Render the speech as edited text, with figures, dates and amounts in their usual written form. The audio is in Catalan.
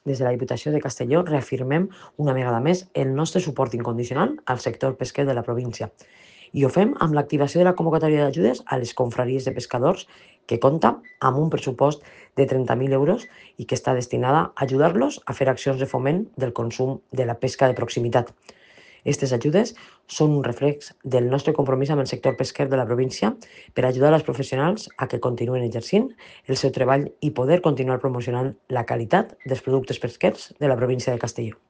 Des de la Diputació de Castelló reafirmem una vegada més el nostre suport incondicional al sector pesquer de la província i ho fem amb l'activació de la convocatòria d'ajudes a les confraries de pescadors que compta amb un pressupost de 30.000 euros i que està destinada a ajudar-los a fer accions de foment del consum de la pesca de proximitat. Aquestes ajudes són un reflex del nostre compromís amb el sector pesquer de la província per ajudar els professionals a que continuen exercint el seu treball i poder continuar promocionant la qualitat dels productes pesquers de la província de Castelló.